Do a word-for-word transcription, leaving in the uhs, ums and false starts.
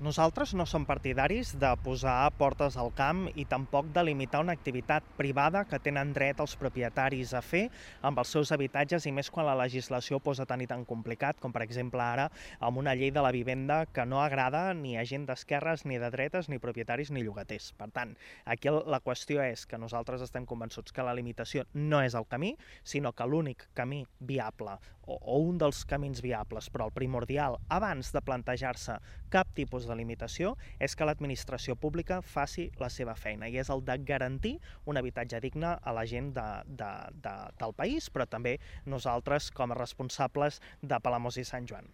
Nosaltres no som partidaris de posar portes al camp i tampoc de limitar una activitat privada que tenen dret els propietaris a fer amb els seus habitatges, i més quan la legislació ho posa tan i tan complicat, com per exemple ara amb una llei de la vivenda que no agrada ni a gent d'esquerres, ni de dretes, ni propietaris, ni llogaters. Per tant, aquí la qüestió és que nosaltres estem convençuts que la limitació no és el camí, sinó que l'únic camí viable, o, o un dels camins viables, però el primordial, abans de plantejar-se cap tipus de limitació, és que l'administració pública faci la seva feina, i és el de garantir un habitatge digne a la gent de, de, de, del país, però també nosaltres com a responsables de Palamós i Sant Joan.